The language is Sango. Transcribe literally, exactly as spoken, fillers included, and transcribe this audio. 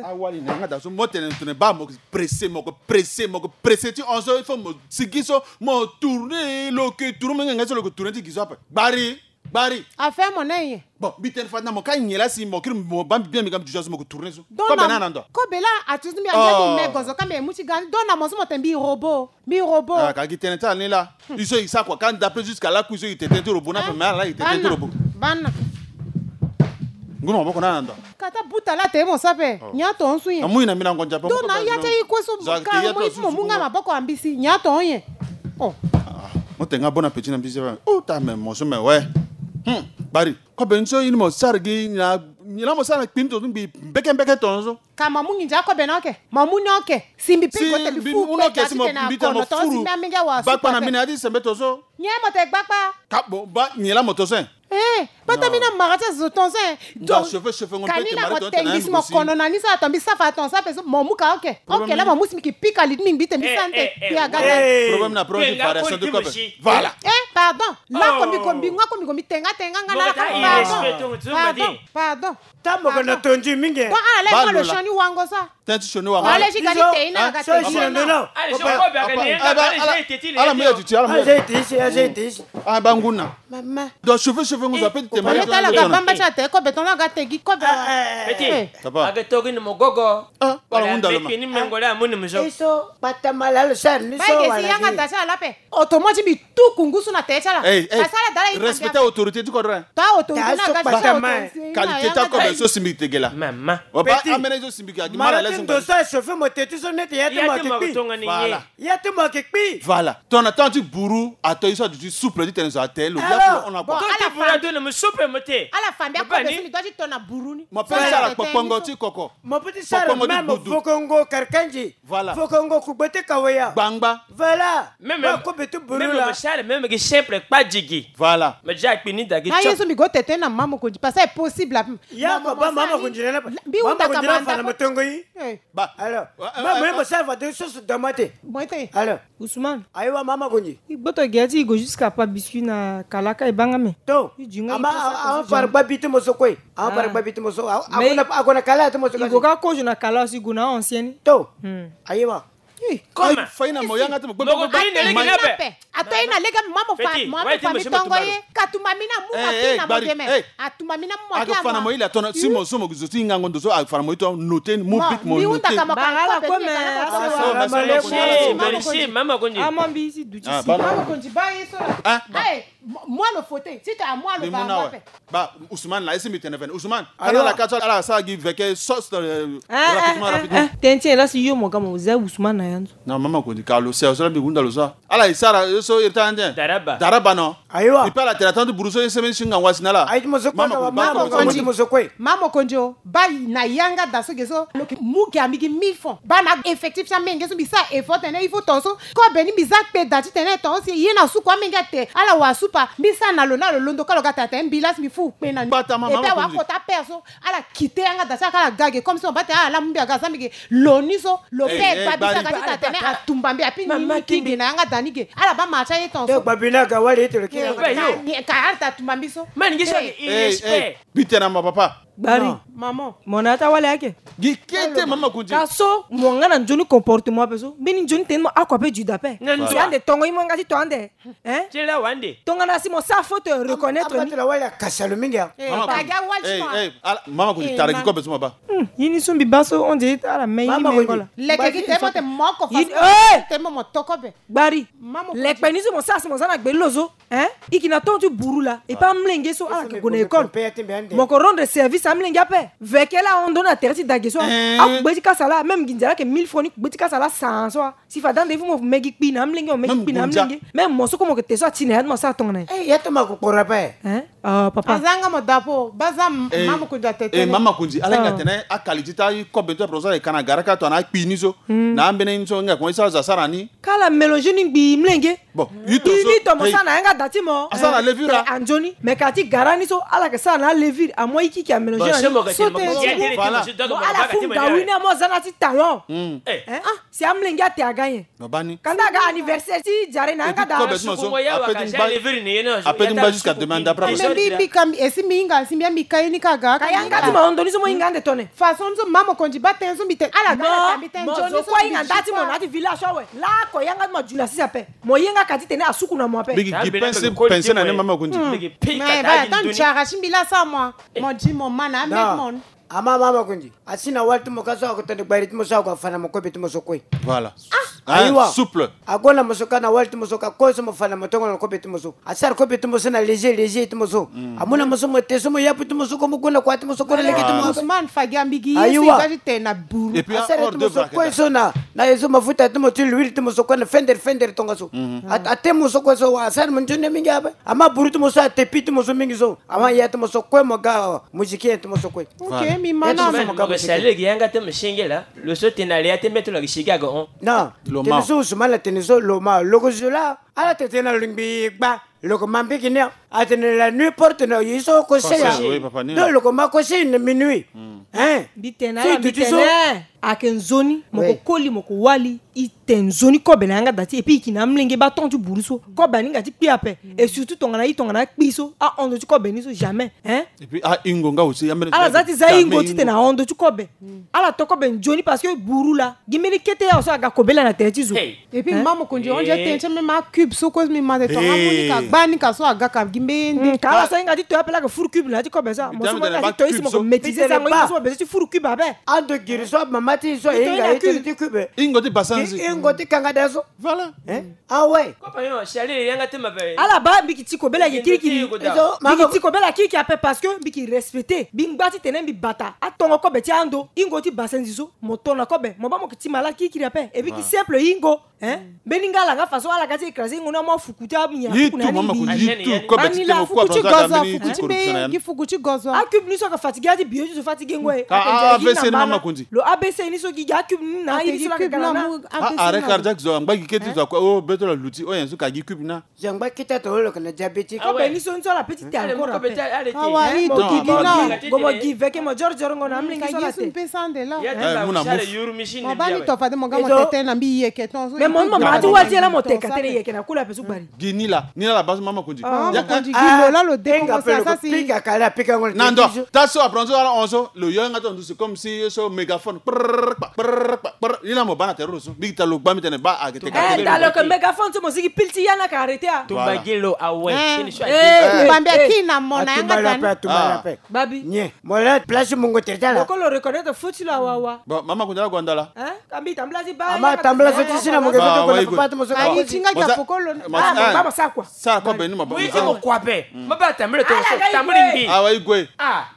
Awali na nga da so mo tene tene ba mo pressé, mo ko pressé, mo ko pressé ti hon so, il faut mo sigi so mo tourner lo ke tourner mo ngenga so lo ko tourner ti gi so ape. Gbari, gbari. Affaire mo na ye. Bon, mbi tene fade na mo ka nyen la si mo kiri mo ba mbi bien mbi ga mbi dusa so mo ko tourner so. Kobe na na ndo. Kobe la atusu mbi andi mbi me gozo ka mbi mu ti ga ni. Donc na mo so mo tene mbi robot. Mbi robot. Ah, ka gi tene ti ala ni la. I so i sa kua ka d'après jusqu'à la kui so i tene ti robot na pe me ala la i tene ti robot. Bana. Ngu na maboko na na ndo. Kata buta la te mo sa pe. Nya to nsu ye. Amu ina mina ngonja pe. Donc na ya te i kue so ka mo i mo mu nga maboko ambisi. Nya to ye. Oh. Mo te nga bon appétit na mbisi. Oh, ta me mo so me we. Hmm. Bari. Kobe ni so i ni mo sara gi na, ni la mo sara na kpini to mbi mbeke mbeke to so. Ka mamu nginza kobe na oke. Mamu ni oke. Si mbi pe gote mbi fu pe ta ti tena kono to si mbi amenge wa su pa pe. Bakpa na mbi na ya ti sembe to so. Nye mo te gbakpa. Ka bo ba nye la mo to so. Eh, bata mi na mara ti azo ton se. Donc chauffeur chauffeur ngo pe te mari ton te na mo kono na ni so ato mbi safa ton sa pe so mo muka oke. Oke la mo musi mi ki pika li mi mbi te mbi sante. Problème na problème variation de cop. Voilà. Eh, pardon. La ko mbi ko mbi nga ko mbi ko mbi tenga tenga nga na la ka. Pardon. Pardon. Pardon. Tango ko na tondi mingi. Bon, ala le mo le shoni wango sa. Tënë ti sioni wanga. Wala si gari te ina ga te. Ala mu ya duti ala mu ya. Ah, ba nguna. Mama. Donc chauffeur chauffeur nguza petit te mari. Tala ga bamba cha te ko beton la ga te gi ko be. Petit. Papa. Aga togi ni mogogo. Ah, ba ngunda lo ma. Ni mengole amuni mzo. Iso patamala lo sar ni so wala. Ba ke si yanga da cha la pe. Oto mo ti mbi tuku ngusu na tënë ti ala. Asara dala i respecter autorité ti kodre. Ta autorité na ga ti qualité ti akobe so si mbi tege la. Mama. Wa ba amene so si mbi ka gi mara leso. Ndo so chauffeur mo tete so nete ya ti mo ki kpi. Voilà. Ya ti mo ki kpi. Voilà. Ton na temps ti buru ato i so du souple ti tene so atelo. Ya ko on a quoi. Ton ti buru ato na mo souple mo te. Ala fambi akobe so mbi doit ti ton na buru ni. Mo pe sara kpokpongo ti koko. Mo pe ti sara même fokongo karkanji. Voilà. Fokongo kugbe ti kaweya. Gbangba. Voilà. Même même ko betu buru la. Même mo sara même gi simple kpa jigi. Voilà. Mais ja kpi ni da gi. Na yesu mi go tete na mama ko di parce que c'est possible. Ya ko ba mama ko di na. Bi uta ka manda ko tongo yi. Ba. Alors. Mama mo sara fa de so so damate. Moite. Alors. Ousmane. Ayiwa mama ko di. I gboto gi ya ti i go jusqu'à pa biscuit na kalaka e banga me. To. I jinga i pa sa. Ama par ba bitu mo so kue. Ama par ba bitu mo so. Akona akona kala ti mo so. I go ka kozo na kala aussi go na ancien. To. Ayiwa. Comment? Faina mo yanga ti mo gbogbo. Ato ina lega mama fa mama fa mi tongo ye. Katuma mina mu ma kina mo deme. Atuma mina mu ma kina. Aga fana mo ile atona si mo so mo zo ti ngango ndo so aga fana mo ito note mo bit mo note. Bagala ko me. Merci mama konji. Ama mbi si duti si. Mama konji ba ye so. Moi le fauteuil. Si tu as moi le bamba. Ba Ousmane la esi mbi tene fene Ousmane. Ala la kato ala sa gi veke sauce. Rapidement rapidement. Tënë ti nyen la si yo mo ga mo za Ousmane na ya nzo. Na mama ko di ka lo se so la mbi hunda lo so. Ala e sara yo so iri ta ande. Daraba. Daraba no. Ayiwa. I pe ala tene atandu buru so ye semaine singa wasi na la. Ayi ti mo so kue. Mama ko di. Mama ko di o. Ba na yanga da so ge so. Lo ki mu ge ambi gi mille francs. Ba na effectif ti amenge so mbi sa effort tene il faut ton so. Kobe ni mbi za kpe da ti tene ton si ye na suku amenge ate ala wa supa mbi sa na lo na lo londo ka lo ga tate mbi la si mbi fu kpe na ni. Epe awa kota père so ala kite yanga da ti ala ka ala ga ge comme si mo ba tene ala mu mbi aga za mbi ge lo ni so lo père gba bi so aga ti tate ne atumba mbi api ni ni ki ge na yanga da ni ge ala ba ma ti aye ton so. Gba bi ni aga wali ete lo ki yanga da ni ka ala ta tumba mbi so. Mani gi so ni irespect. Bi tene na mo papa. Gbari. Maman. Mo na ya ti awali ayeke. Gi kete mama kundi. Ka so mo nga na nzoni comportement ape so mbeni nzoni tene mo ako ape juda ape. Si ande tongo ye mo yanga ti to ande. Hein? Ti la wande. Tongana si mo sa faute reconnaître ni. Mama kundi tara gi kobe so mo ba. Ye ni so mbi ba so on dirait ala me ye ni mengo la. Leke gi te mo te moko fa. Te mo mo to kobe. Gbari. Lekpe ni so mo sa si mo za na gbe lo so. Hein? I ki na tongo ti buru la e pa amolenge so ala ke gue na école. Mo ko rendre service amolenge ape. Veke la ahon ndo na tere ti dage so akugbe ti kasa la même gi nzara ayeke mille francs ni kugbe ti kasa la san so. Si fade ande il faut mo me gi kpi na amolenge mo me gi kpi na amolenge même mo so kue mo yeke te so ati na ya ti mo asara tongana nyen? Ya ti mo akokporo ape. Hein? Papa. Aza nga mo dapo ba za mama kundi atete. Mama kundi ala hinga tene akali ti ta kobe ti aprosa e ka na gara ka tongana akpi ni so. Na ambeni ni so nga koma e sara zo asara ni. Kala mélange ni ngbii mlenge. Bon, i to so ni to mo sa na yanga da ti mo. Asara levure. Anzoni me ka ti gara ni so ala ke sara na levure amo ikiki amélange na ni so te. Bon ala fu ngawi ni amo aza na ti talon. Si amlenge ate aga nyen? Kanda aga anniversaire ti jare na yanga da. Apeti ngba jusqu'à demain d'après. Mbi mbi ka mbi esi mbi hinga si mbi ya mbi ka ye ni ka ga. Ka yanga ti mo ndo ni so mo hinga ande tone. Façon ni so mama mokonzi baa tënë so mbi tene ala ga na ta mbi tene nzoni so mbi hinga nda ti mo na ya ti village awe. Lako yanga ti mo ajula sisa ape. Mo ye nga ka ti tene asuku na mo ape. Mbi gi gi pense pense na ni mama mokonzi. Mbi gi pika ta gi ndoni. Mo di mo mana mbi mon. Ama mama mokonzi asi na wali ti mo ka so ako tene gbari ti mo so ako afa na mo kobe ti mo so kue. Voilà. Ayiwa. Souple. Ago na mo so ka na wali ti mo so ka kue so mo fa na mo tongo na kobe ti mo so. Asara kobe ti mo so na léger léger ti mo so. Amu na mo so mo te so mo yapu ti mo so ko mo gu na kua ti mo so ko na lege ti mo. Ousmane fagi ambigi ye so i ga ti tene na buru. Et puis asara ti mo so kue so na na ye so mafuta ti mo ti l'huile ti mo so kue na fendere fendere tongaso. Ate mo so kue so wa asara mo nzoni mingi ape. Ama buru ti mo so ate pi ti mo so mingi so. Ama ya ti mo so kue mo ga musicien ti mo so kue. Ok, mi mana. Sali lege yanga te mo senge la. Lo so tene na le ya te mbeto na gi sigi aga hon. Non. Tene so Ousmane atene so lo ma lo ko zo la. Ala tene tene na lo ngbi gba. Lo ko ma mbiki ni. Atene la nuit porte na ye so conseil. Donc lo ko ma conseil na minuit. Hein. Mbi tene so ala mbi tene. Ayeke nzoni mo ko koli mo ko wali. I tene nzoni kobe na yanga da ti et puis i yeke na amolenge baa ton ti buru so. Kobe aninga ti kpi ape. Et surtout tongana i tongana akpi so ahon ndo ti kobe ni so jamais. Hein. Et puis ahingo nga aussi ambeni ala za ti za hingo ti tene ahon ndo ti kobe. Ala to kobe nzoni parce que buru laa gi mbeni kete ya so aga kobela na tere ti zo. Et puis mama mokonzi on dirait tene ti même acube so kue mi ma te tonga mu ni ka gba ni ka so aga ka gi mbe ye nde. Ka ala so ahinga ti to ape laa ke furu cube na ya ti kobe so. Mo so mo hinga ti to isi mo ko maîtriser sango i mo so mo bezo ti furu cube ape. Ando giri so mama ti so e hinga ye tënë ti cube. Hingo ti basanzi. Hingo ti kanga da so. Voilà. Hein. Ah ouais. Ala baa mbi ki ti kobela ye kirikiri. Mbi ki ti kobela kirikiri ape parce que mbi ki respecter mbi ngba ti tene mbi bata atongo kobe ti ando. Hingo ti basanzi so mo to na kobe mo baa mo ki ti malade kirikiri ape et puis ki simple hingo. Hein. Mbeni nga ala nga façon ala ga ti écraser hingo ni amu afuku ti amu ya tuku na ni mbi. Ani la fuku ti gozo afuku ti mbe gi fuku ti gozo. Acube ni so aka fatiguer ti bio ti zo fatiguer ngoi. Ka avc ni mama kundi. Lo abc ni so gi gi acube ni na ayi ni so la ka gala na. Arrêt cardiaque zo angba gi kete zo akua o beto la luti o nyen so ka gi cube na. Zo angba kete atongana lo yeke na diabétique. Kobe ni so ni so ala pe ti te encore ape. Awa i duki gi na. Gomo gi veke mo joro joro ngo na amolenge so ala te. Mo baa ni to fade mo ga mo tete na mbi yeke ton so. Mais mo ni mo ma ti wali ti ye la mo teka tënë yeke na kula ape so gbari. Gi ni la ni la la baa so mama kundi. Mama kundi gi lo la lo décommencer asasi. Na ndo ta so apprendre so ala hon so lo yo yanga ti hon so c'est comme si so mégaphone. Prrr kpa prrr kpa prrr ni la mo baa na tere ro so mbi gi ta lo gba mbi tene baa ayeke teka tënë. Dalo ke mégaphone so mo zi gi pili ti ya na ka arrêter a. Tumba gi lo awe. Tumba mbi aki na mo na yanga dani. Babi. Nye mo la place mungo tere ti ala. Lo ko lo reconnaître faute ti lo awawa. Bon mama kundi ala gue andala. Hein. Ka mbi tambula ti baa. Ama tambula so ti si na mo ke so ti gue na papa ti mo so. Ayi ti nga gi apokolo. Mo baa mo sa kua. Sa kua beni mo baa mo sa. Mo kua ape. Mo baa tambula to so tambula ngbi. Awa i gue. Ah.